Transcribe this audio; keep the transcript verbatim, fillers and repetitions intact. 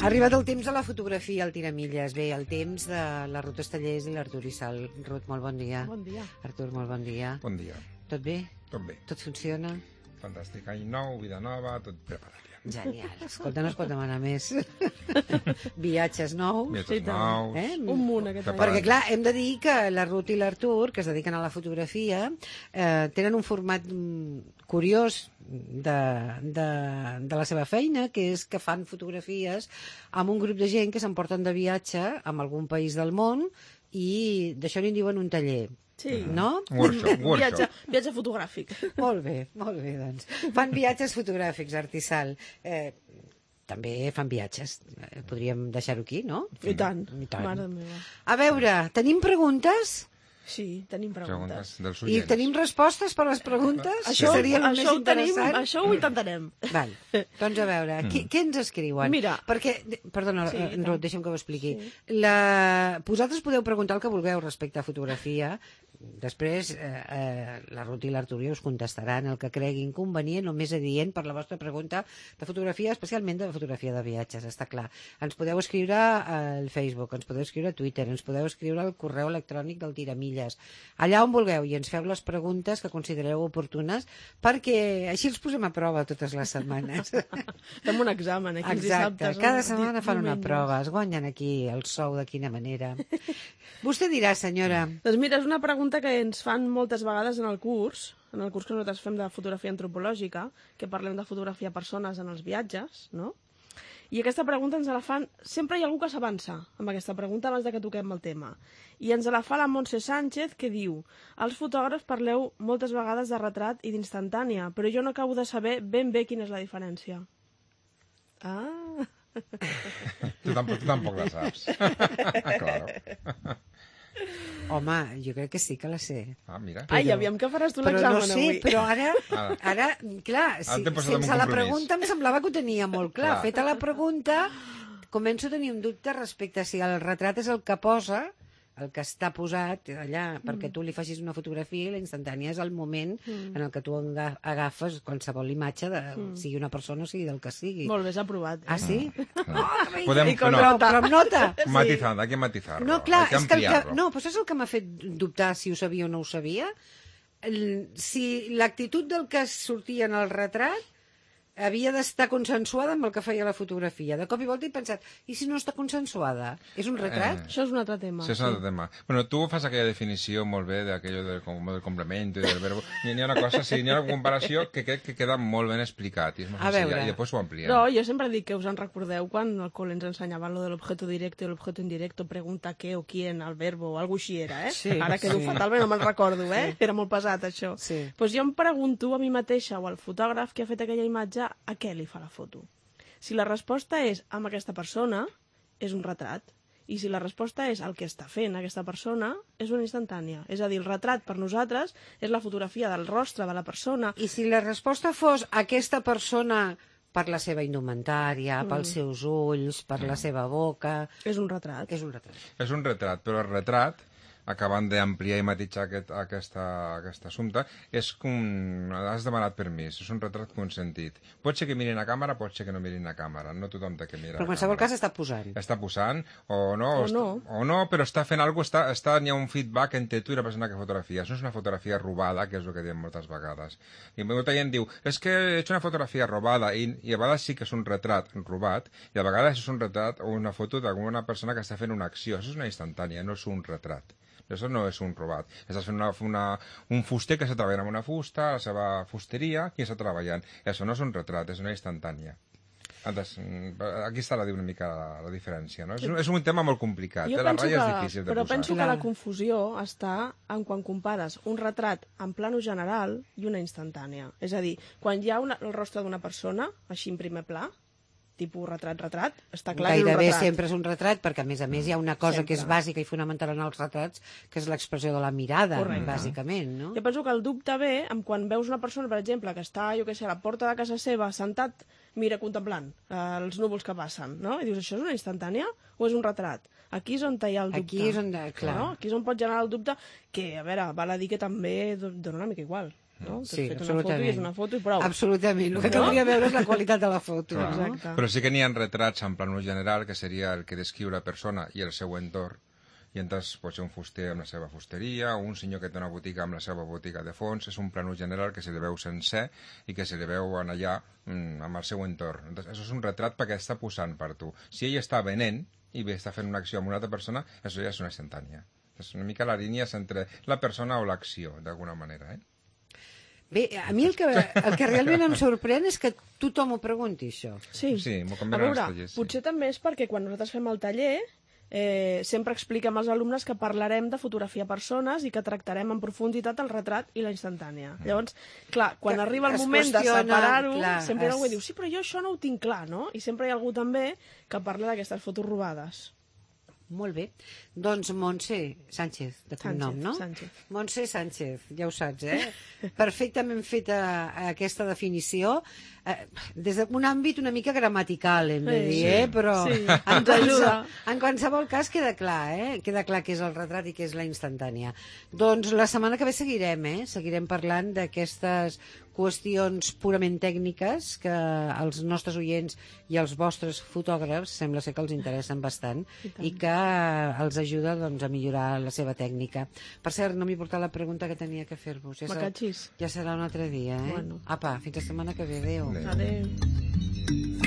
Ha arribat el temps de la fotografia al Tiramilles. Bé, el temps de la Ruth Estellers i l'Artur Issal. Ruth, molt bon dia. Bon dia. Artur, molt bon dia. Bon dia. Tot bé? Tot bé. Tot funciona? Fantàstic. Any nou, vida nova, tot preparat ja. Genial. Escolta, no es pot demanar més. Viatges nous. Viatges nous. Eh? Un munt aquest any. Perquè, clar, hem de dir que la Ruth i l'Artur, que es dediquen a la fotografia, eh, tenen un format mm, curiós de, de, de la seva feina, que és que fan fotografies amb un grup de gent que s'emporten de viatge amb algun país del món i d'això n'hi diuen un taller. Sí. No? Workshop, workshop. Viatge, viatge fotogràfic. Molt bé, molt bé, doncs. Fan viatges fotogràfics, Artissal. Eh, també fan viatges. Eh, podríem deixar-ho aquí, no? I tant. I tant. Mare meva. A veure, tenim preguntes? Sí, tenim preguntes. Preguntes dels I oients. tenim respostes per les preguntes? Això, seria el això, més ho tenim, interessant. això ho intentarem. Val. Doncs a veure, qui, què ens escriuen? Mira. Perquè, perdona, Sí, sí, Ruth, deixa'm que ho expliqui. Sí. La... Vosaltres podeu preguntar el que vulgueu respecte a fotografia. Després, eh, eh, la Ruth i l'Artur us contestaran el que creguin convenient o més adient per la vostra pregunta de fotografia, especialment de fotografia de viatges, està clar. Ens podeu escriure al Facebook, ens podeu escriure a Twitter, ens podeu escriure al correu electrònic del Tiramilles, allà on vulgueu, i ens feu les preguntes que considereu oportunes, perquè així els posem a prova totes les setmanes. Fem un examen aquí els Exacte, dissabtes. cada o setmana fan una diumenges. prova, es guanyen aquí el sou de quina manera. Vostè dirà, senyora... Doncs mira, és una pregunta que ens fan moltes vegades en el curs, en el curs que nosaltres fem de fotografia antropològica, que parlem de fotografiar persones en els viatges, no? I aquesta pregunta ens la fan... Sempre hi ha algú que s'avança amb aquesta pregunta abans de que toquem el tema. I ens la fa la Montse Sánchez, que diu: els fotògrafs parleu moltes vegades de retrat i d'instantània, però jo no acabo de saber ben bé quina és la diferència. Ah... Tu tampoc, tu tampoc la saps. Claro. Home, jo crec que sí que la sé. Ah, mira. Ai, aviam que faràs tu Però l'examen no sé, avui. però ara, Ara. ara clar, si, t'he posat en un sense la compromís. pregunta em semblava que ho tenia molt clar. Clar. Feta la pregunta, començo a tenir un dubte respecte a si el retrat és el que posa, el que està posat allà perquè tu li facis una fotografia, i la instantània és el moment Mm. en el que tu enga- agafes qualsevol imatge, de, sigui una persona o sigui del que sigui. Molt bé, s'ha aprovat. Eh? Ah, sí? Podem, I con no, Però, però amb nota. matizar, hay que matizarlo. No, clar, hay que és que, el que ampliarlo. no, però saps el que m'ha fet dubtar si ho sabia o no ho sabia? El, si l'actitud del que sortia en el retrat havia d'estar consensuada amb el que feia la fotografia. De cop i volta he pensat, i si no està consensuada? És un retrat? Eh. Això és un altre tema. Sí, és un altre tema. Bueno, tu fas aquella definició molt bé d'aquello del, com- del complemento i del verbo. N'hi ha una cosa, sí, n'hi ha una comparació que crec que queda molt ben explicat i és molt A senzilla, veure. i després ho ampliem. No, jo sempre dic que us en recordeu quan al col·le ens ensenyaven lo de l'objeto directo i l'objeto indirecto, pregunta què o quién, el verbo, o alguna així era, eh? Sí, Ara quedo sí. fatal, però no me'n recordo, eh? Era molt pesat, això. Sí. Pues jo em pregunto a mi mateixa o al fotògraf que ha fet aquella imatge a què li fa la foto. Si la resposta és amb aquesta persona, és un retrat. I si la resposta és el que està fent aquesta persona, és una instantània. És a dir, el retrat per nosaltres és la fotografia del rostre de la persona. I si la resposta fos aquesta persona per la seva indumentària, pels seus ulls, per la seva boca... És un retrat. És un retrat. És un retrat, però el retrat, acabant d'ampliar i matitzar aquest, aquesta, aquest assumpte, és com... Has demanat permís, és un retrat consentit. Pot ser que mirin a càmera, pot ser que no mirin a càmera, no tothom té que mirar Però en a qualsevol càmera. cas està posant. Està posant, o no, O està- no. o no, però està fent alguna cosa, està, està, hi ha un feedback entre tu i la persona que fotografia. Això no és una fotografia robada, que és el que diem moltes vegades. I molta gent diu, és que he hecho una fotografia robada, i, i a vegades sí que és un retrat robat, i a vegades és un retrat o una foto d'alguna persona que està fent una acció. Això és una instantània, no és un retrat. Això no és un robat. Estàs fent una, una, un fuster que està treballant amb una fusta, a la seva fusteria, i està treballant. Això no és un retrat, és una instantània. Antes, aquí està la, una mica la, la diferència, no? És, un- és un tema molt complicat, Jo eh? la penso ratlla que, és difícil de però posar. penso que Clar. la confusió està en quan compares un retrat en plano general i una instantània. És a dir, quan hi ha una, el rostre d'una persona, així en primer pla, tipus retrat-retrat, està clar que és un Gairebé retrat. sempre és un retrat, perquè a més a més hi ha una cosa Sempre. que és bàsica i fonamental en els retrats, que és l'expressió de la mirada, Correcte. bàsicament, no? Jo penso que el dubte ve amb quan veus una persona, per exemple, que està, jo què sé, a la porta de casa seva, sentat, mira, contemplant eh, els núvols que passen, no? I dius, això és una instantània o és un retrat? Aquí és on hi ha el dubte. Aquí és on, clar. No? Aquí és on pot generar el dubte, que, a veure, val a dir que també do- dona una mica igual. no? T'has Sí, fet una foto i és una foto i prou. Absolutament. El que caldria veure és la qualitat de la foto. Clar. No? Exacte. Però sí que n'hi ha retrats en plano general, que seria el que descriu la persona i el seu entorn. I entonces pot ser un fuster amb la seva fusteria, o un senyor que té una botiga amb la seva botiga de fons. És un plano general que se li veu sencer i que se li veu en allà mm, amb el seu entorn. Entonces, això és un retrat perquè està posant per tu. Si ell està venent i bé està fent una acció amb una altra persona, això ja és una instantània. És una mica la línia entre la persona o l'acció, d'alguna manera, eh? Bé, a mi el que, el que realment em sorprèn és que tothom ho pregunti, això. Sí, Sí, m'ho a canvien els veure, tallers, sí. potser també és perquè quan nosaltres fem el taller eh, sempre expliquem als alumnes que parlarem de fotografia a persones i que tractarem en profunditat el retrat i la instantània. Mm. Llavors, clar, quan Que arriba el es moment de qüestiona, separar-ho, clar, sempre es- algú diu, sí, però jo això no ho tinc clar, no? I sempre hi ha algú també que parla d'aquestes fotos robades. Molt bé. Doncs Montse Sánchez, de cognom, no? Sánchez. Montse Sánchez, ja ho saps, eh? Perfectament feta aquesta definició, eh, des d'un àmbit una mica gramatical, hem de Sí. dir, eh? Però Sí, en, ens ajuda. qualsevol, en qualsevol cas queda clar, eh? Queda clar que és el retrat i que és la instantània. Doncs la setmana que ve seguirem, eh? Seguirem parlant d'aquestes qüestions purament tècniques que als nostres oients i als vostres fotògrafs sembla ser que els interessen bastant I tant. i que els ajuda doncs, a millorar la seva tècnica. Per cert, no m'he portat la pregunta que tenia que fer-vos. Ja, Me serà, catxis. ja serà un altre dia, eh? Bueno. Apa, fins la setmana que ve. Adéu. Adéu. Adéu.